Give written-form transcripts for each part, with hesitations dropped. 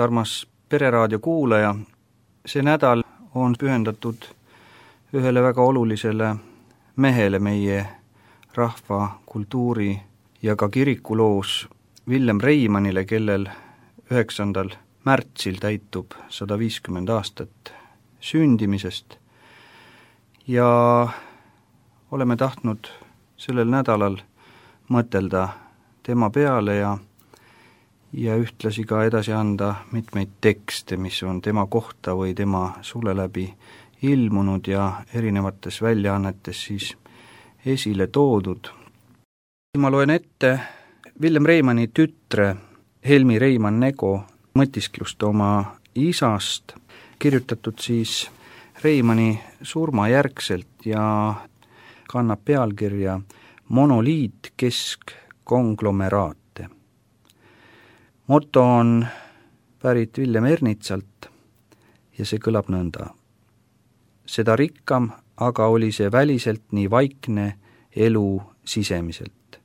armas Pereraadio kuulaja! See nädal on pühendatud ühele väga olulisele mehele meie rahva, kultuuri ja ka kirikuloos, Villem Reimannile, kellel 9. märtsil täitub 150 aastat sündimisest. Ja oleme tahtnud sellel nädalal mõtelda tema peale ja ühtlasi ka edasi anda mitmeid tekste, mis on tema kohta või tema sule läbi ilmunud ja erinevates väljaannetes siis esile toodud. Ma loen ette Villem Reimanni tütre Helmi Reimann-Nego mõtisklust oma isast, kirjutatud siis Reimanni surmajärgselt ja kannab pealkirja Monoliit keskkonglomeraate. Moto on pärit Villem Ernitsalt ja see kõlab nõnda. Seda rikkam aga oli see väliselt nii vaikne elu sisemiselt.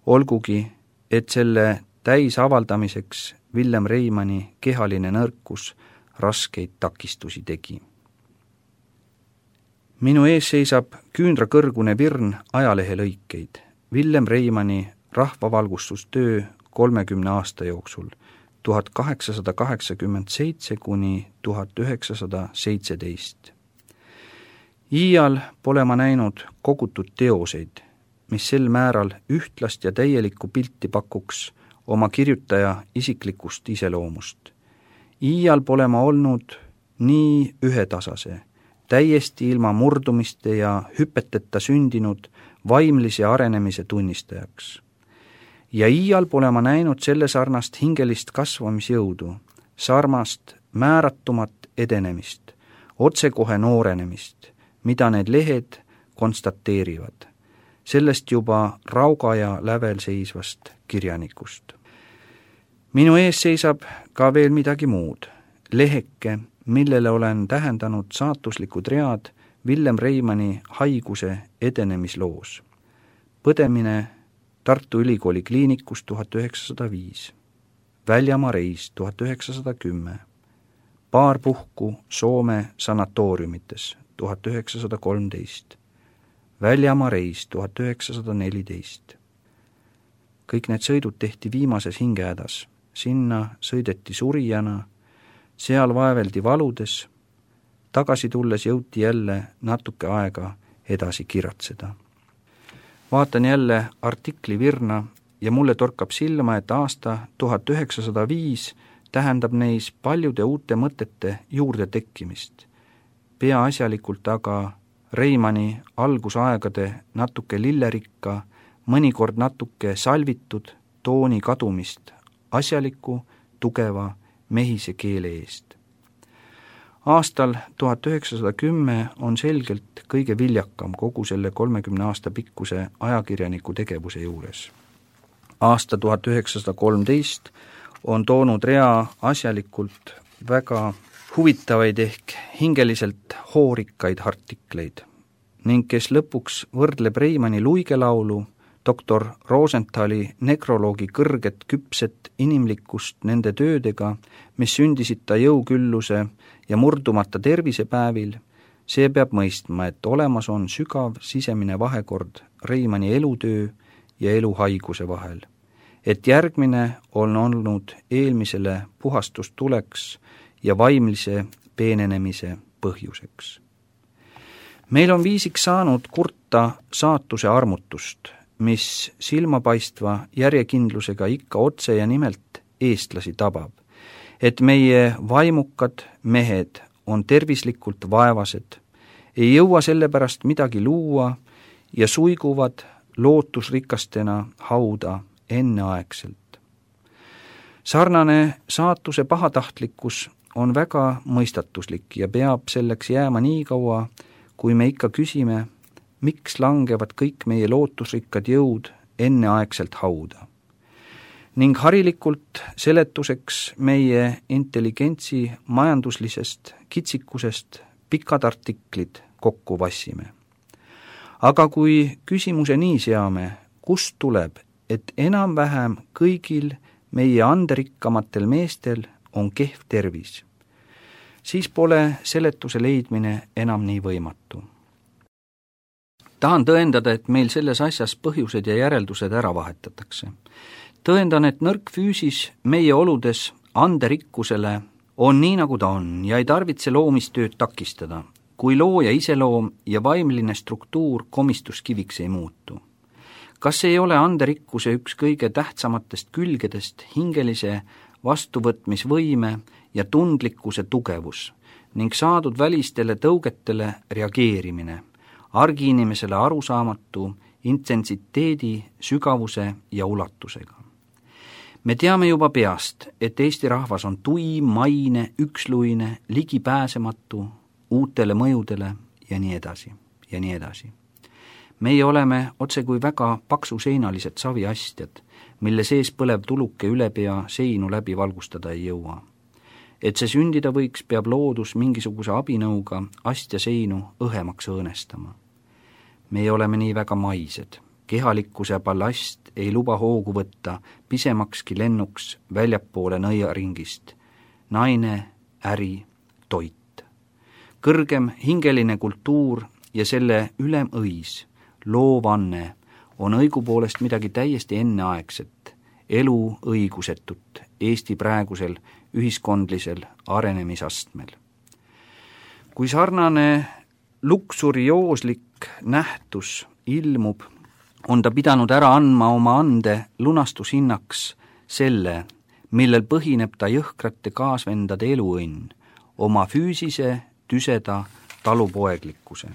Olgugi, et selle täisavaldamiseks Villem Reimanni kehaline nõrkus raskeid takistusi tegi. Minu ees seisab küündrakõrgune virn ajalehelõikeid. Villem Reimanni rahvavalgustustöö 30 aasta jooksul, 1887 kuni 1917. Iial pole ma näinud kogutud teoseid, mis sel määral ühtlast ja täielikku pilti pakuks oma kirjutaja isiklikust iseloomust. Iial pole ma olnud nii ühetasase, täiesti ilma murdumiste ja hüpeteta sündinud vaimlise arenemise tunnistajaks. Ja iial pole ma näinud selle sarnast hingelist kasvamisjõudu, sarmast määratumat edenemist, otsekohe noorenemist, mida need lehed konstateerivad, sellest juba rauga ja lävel seisvast kirjanikust. Minu ees seisab ka veel midagi muud, leheke, millele olen tähendanud saatuslikud read Villem Reimanni haiguse edenemisloos. Põdemine Tartu Ülikooli kliinikus 1905, väljamaa reis 1910, paar puhku Soome sanatooriumites 1913, väljamaa reis 1914. Kõik need sõidud tehti viimases hingehädas, sinna sõideti surijana, seal vaeveldi valudes, tagasi tulles jõuti jälle natuke aega edasi kiratseda. Vaatan jälle artikli virna ja mulle torkab silma, et aasta 1905 tähendab neis paljude uute mõtete juurde tekkimist. Peaasjalikult aga Reimanni algusaegade natuke lillerikka, mõnikord natuke salvitud tooni kadumist asjaliku, tugeva mehise keele eest. Aastal 1910 on selgelt kõige viljakam kogu selle 30 aasta pikkuse ajakirjaniku tegevuse juures. Aasta 1913 on toonud rea asjalikult väga huvitavaid ehk hingeliselt hoorikkaid artikleid ning kes lõpuks võrdleb Reimanni luigelaulu, doktor Rosenthali nekroloogi kõrget küpset inimlikkust nende töödega, mis sündisid ta jõukülluse ja murdumata tervisepäevil, see peab mõistma, et olemas on sügav sisemine vahekord Reimanni elutöö ja eluhaiguse vahel, et järgmine on olnud eelmisele puhastustuleks ja vaimlise peenenemise põhjuseks. Meil on viisiks saanud kurta saatuse armutust, mis silmapaistva järjekindlusega ikka otse ja nimelt eestlasi tabab, et meie vaimukad mehed on tervislikult vaevased, ei jõua sellepärast midagi luua ja suiguvad lootusrikastena hauda enneaegselt. Sarnane saatuse pahatahtlikkus on väga mõistatuslik ja peab selleks jääma nii kaua, kui me ikka küsime, miks langevad kõik meie lootusrikkad jõud enneaegselt hauda. Ning harilikult seletuseks meie intelligentsi majanduslisest kitsikusest pikad artiklid kokku vassime. Aga kui küsimuse nii seame, kust tuleb, et enam-vähem kõigil meie anderikkamatel meestel on kehv tervis, siis pole seletuse leidmine enam nii võimatu. Tahan tõendada, et meil selles asjas põhjused ja järeldused ära vahetatakse. Tõendan, et nõrk füüsis meie oludes anderikkusele on nii, nagu ta on ja ei tarvitse loomistööd takistada, kui looja iseloom ja vaimline struktuur komistuskiviks ei muutu. Kas ei ole anderikkuse üks kõige tähtsamatest külgedest hingelise vastuvõtmisvõime ja tundlikkuse tugevus ning saadud välistele tõugetele reageerimine, argiinimesele arusaamatu intentsiteedi, sügavuse ja ulatusega? Me teame juba peast, et Eesti rahvas on tuim, maine, üksluine, ligipääsematu uutele mõjudele ja nii edasi ja nii edasi. Meie oleme otse kui väga paksuseinalised saviastjad, mille sees põlev tuluke üle pea seinu läbi valgustada ei jõua. Et see sündida võiks, peab loodus mingisuguse abinõuga astja seinu õhemaks õõnestama. Meie oleme nii väga maised. Kehalikkuse ballast ei luba hoogu võtta pisemakski lennuks väljapoole nõiaringist. Naine, äri, toit. Kõrgem hingeline kultuur ja selle ülemõis, loovanne, on õigupoolest midagi täiesti enneaegset, elu õigusetut Eesti praegusel ühiskondlisel arenemisastmel. Kui sarnane luksuriooslik nähtus ilmub, on ta pidanud ära andma oma ande lunastushinnaks selle, millel põhineb ta jõhkrate kaasvendade eluõnn, oma füüsise, tüseda talupoeglikkuse.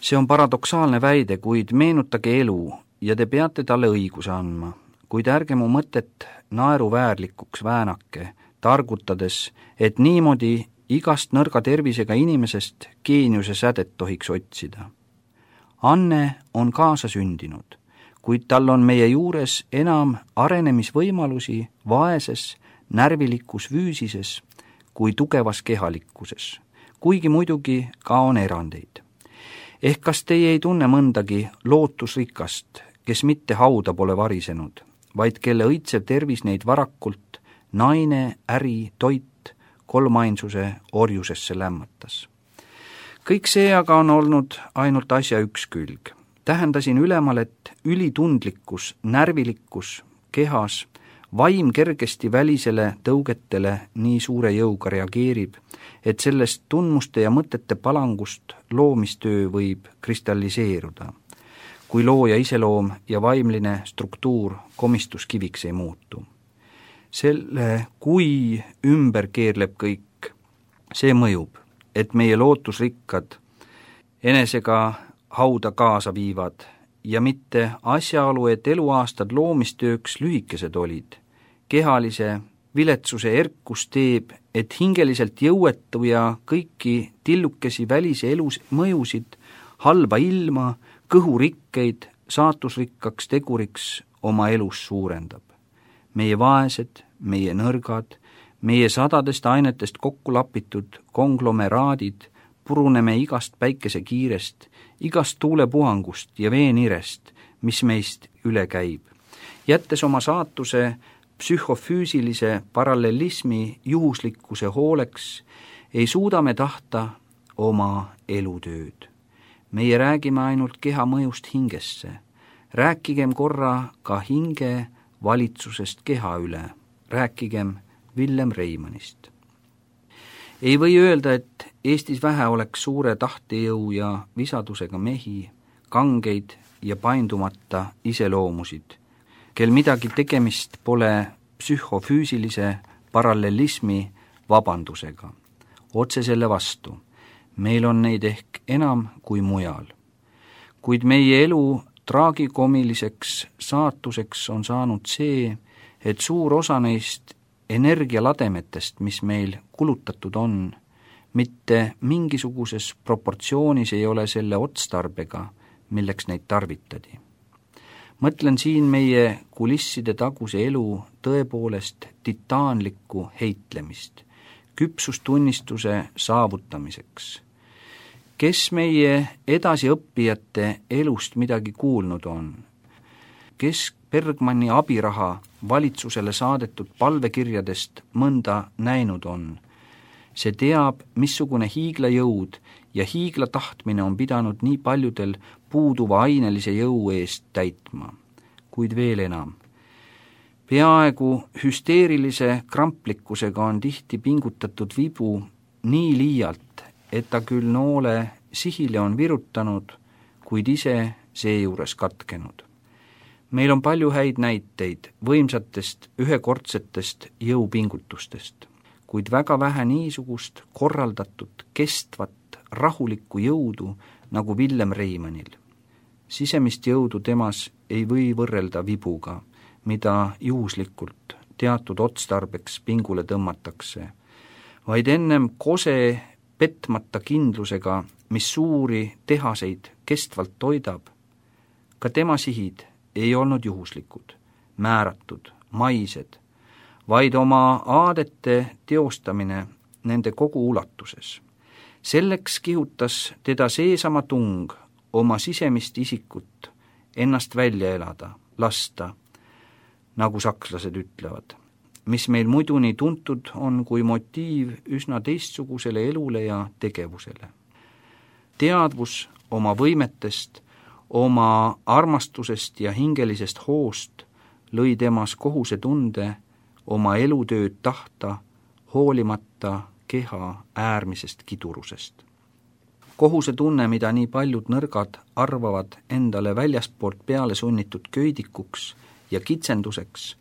See on paradoksaalne väide, kuid meenutage elu ja te peate talle õiguse andma, kuid ärge mu mõtet naeruväärlikuks väänake, targutades, et niimoodi igast nõrga tervisega inimesest geeniuse sädet tohiks otsida. Anne on kaasa sündinud, kuid tal on meie juures enam arenemisvõimalusi vaeses, närvilikus füüsises kui tugevas kehalikkuses, kuigi muidugi ka on erandeid. Ehk kas teie ei tunne mõndagi lootusrikast, kes mitte hauda pole varisenud, vaid kelle õitsev tervis neid varakult naine, äri, toit, kolmainsuse orjusesse lämmatas. Kõik see aga on olnud ainult asja üks külg. Tähendasin ülemal, et ülitundlikkus, närvilikkus, kehas, vaim kergesti välisele tõugetele nii suure jõuga reageerib, et sellest tundmuste ja mõtete palangust loomistöö võib kristalliseeruda, kui looja iseloom ja vaimline struktuur komistuskiviks ei muutu. Selle, kui ümber keerleb kõik, see mõjub, et meie lootusrikkad enesega hauda kaasa viivad ja mitte asjaolu, et eluaastad loomistööks lühikesed olid. Kehalise viletsuse erkus teeb, et hingeliselt jõuetu ja kõiki tillukesi välise elus mõjusid, halba ilma, kõhurikkeid saatusrikkaks teguriks oma elus suurendab. Meie vaesed, meie nõrgad, meie sadadest ainetest kokku lapitud konglomeraadid puruneme igast päikesekiirest, igast tuulepuhangust ja veenirest, mis meist üle käib, jättes oma saatuse psühhofüüsilise parallelismi juhuslikkuse hooleks, ei suuda me tahta oma elutööd. Meie räägime ainult keha mõjust hingesse. Rääkigem korra ka hinge valitsusest keha üle. Rääkigem Villem Reimannist. Ei või öelda, et Eestis vähe oleks suure tahtejõu ja visadusega mehi, kangeid ja paindumata iseloomusid, kel midagi tegemist pole psühhofüüsilise parallelismi vabandusega. Otse selle vastu, meil on neid ehk enam kui mujal. Kuid meie elu traagikomiliseks saatuseks on saanud see, et suur osa neist energialademetest, mis meil kulutatud on, mitte mingisuguses proportsioonis ei ole selle otstarbega, milleks neid tarvitadi. Mõtlen siin meie kulisside taguse elu tõepoolest titaanlikku heitlemist, küpsustunnistuse saavutamiseks. Kes meie edasiõppijate elust midagi kuulnud on? Kes Bergmanni abiraha valitsusele saadetud palvekirjadest mõnda näinud on. See teab, missugune hiiglajõud ja hiiglatahtmine on pidanud nii paljudel puuduva ainelise jõu eest täitma, kuid veel enam. Peaaegu hüsteerilise kramplikkusega on tihti pingutatud vibu nii liialt, et ta küll noole sihile on virutanud, kuid ise seejuures katkenud. Meil on palju häid näiteid võimsatest ühekordsetest jõupingutustest, kuid väga vähe niisugust korraldatud, kestvat, rahulikku jõudu nagu Villem Reimannil. Sisemist jõudu temas ei või võrrelda vibuga, mida juhuslikult teatud otstarbeks pingule tõmmatakse, vaid ennem kose petmata kindlusega, mis suuri tehaseid kestvalt toidab. Ka tema sihid ei olnud juhuslikud, määratud, maised, vaid oma aadete teostamine nende kogu ulatuses. Selleks kihutas teda seesama tung oma sisemist isikut ennast välja elada, lasta, nagu sakslased ütlevad, mis meil muidu nii tuntud on kui motiiv üsna teistsugusele elule ja tegevusele. Teadvus oma võimetest, oma armastusest ja hingelisest hoost lõi temas kohusetunde oma elutööd tahta, hoolimata keha äärmisest kidurusest. Kohusetunne, mida nii paljud nõrgad arvavad endale väljaspoolt peale sunnitud köidikuks ja kitsenduseks,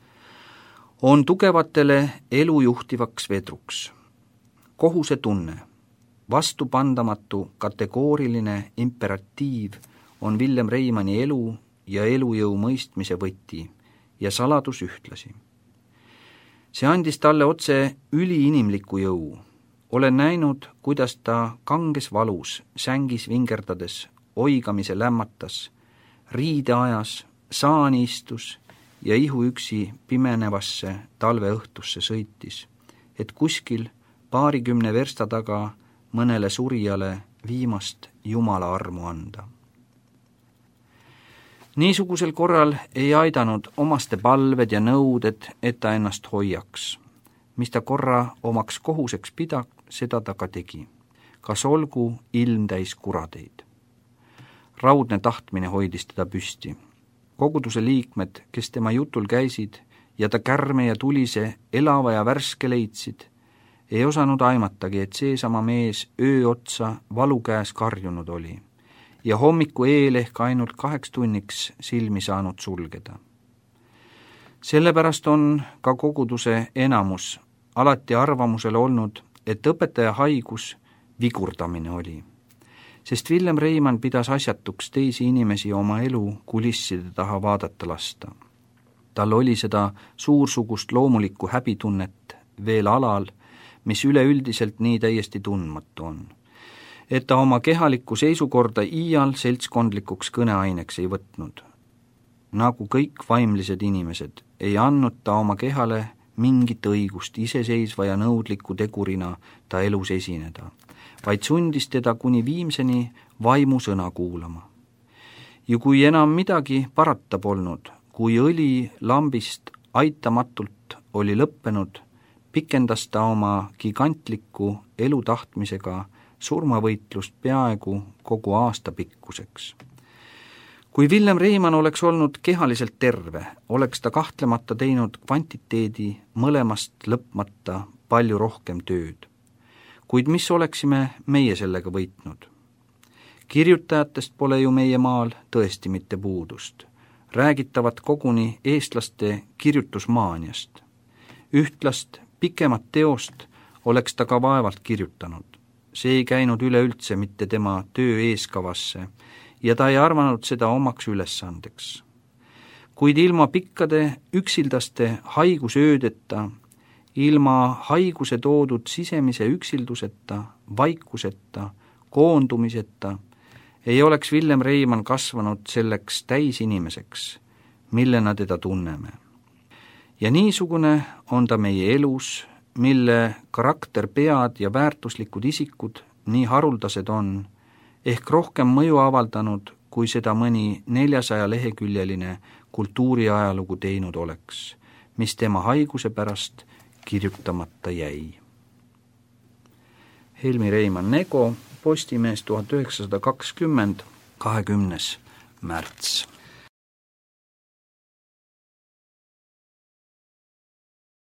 on tugevatele elu juhtivaks vedruks. Kohusetunne, vastupandamatu kategooriline imperatiiv on Villem Reimanni elu ja elujõu mõistmise võti ja saladus ühtlasi. See andis talle otse üliinimliku jõu. Olen näinud, kuidas ta kanges valus, sängis vingerdades, oigamise lämmatas, riide ajas, saani istus ja ihuüksi pimenevasse talveõhtusse sõitis, et kuskil 20 versta taga mõnele surijale viimast Jumala armu anda. Niisugusel korral ei aidanud omaste palved ja nõuded, et ta ennast hoiaks. Mis ta korra omaks kohuseks pida, seda ta ka tegi. Kas olgu ilm täis kuradeid. Raudne tahtmine hoidis teda püsti. Koguduse liikmed, kes tema jutul käisid ja ta kärme ja tulise elava ja värske leidsid, ei osanud aimatagi, et seesama mees öö otsa valu käes karjunud oli ja hommiku eel ehk ainult 2 tunniks silmi saanud sulgeda. Sellepärast on ka koguduse enamus alati arvamusel olnud, et õpetaja haigus vigurdamine oli, sest Villem Reimann pidas asjatuks teisi inimesi oma elu kulisside taha vaadata lasta. Tal oli seda suursugust loomulikku häbitunnet veel alal, mis üleüldiselt nii täiesti tundmatu on, et ta oma kehalikku seisukorda iial seltskondlikuks kõneaineks ei võtnud. Nagu kõik vaimlised inimesed, ei andnud ta oma kehale mingit õigust iseseisva ja nõudliku tegurina ta elus esineda, vaid sundis teda kuni viimseni vaimu sõna kuulama. Ja kui enam midagi parata polnud, kui õli lambist aitamatult oli lõppenud, pikendas ta oma gigantliku elutahtmisega surmavõitlust peaaegu kogu aasta pikkuseks. Kui Villem Reimann oleks olnud kehaliselt terve, oleks ta kahtlemata teinud kvantiteedi mõlemast lõpmata palju rohkem tööd. Kuid mis oleksime meie sellega võitnud? Kirjutajatest pole ju meie maal tõesti mitte puudust. Räägitavat koguni eestlaste kirjutusmaaniast. Ühtlast pikemat teost oleks ta ka vaevalt kirjutanud. See ei käinud üleüldse mitte tema töö eeskavasse ja ta ei arvanud seda omaks ülesandeks. Kuid ilma pikkade üksildaste haigusöödeta, ilma haiguse toodud sisemise üksilduseta, vaikuseta, koondumiseta, ei oleks Villem Reimann kasvanud selleks täisinimeseks, millena teda tunneme. Ja niisugune on ta meie elus, mille karakterpead ja väärtuslikud isikud nii haruldased on, ehk rohkem mõju avaldanud, kui seda mõni 400-leheküljeline kultuuriajalugu teinud oleks, mis tema haiguse pärast kirjutamata jäi. Helmi Reimann Nego, Postimees 1920, 20. märts.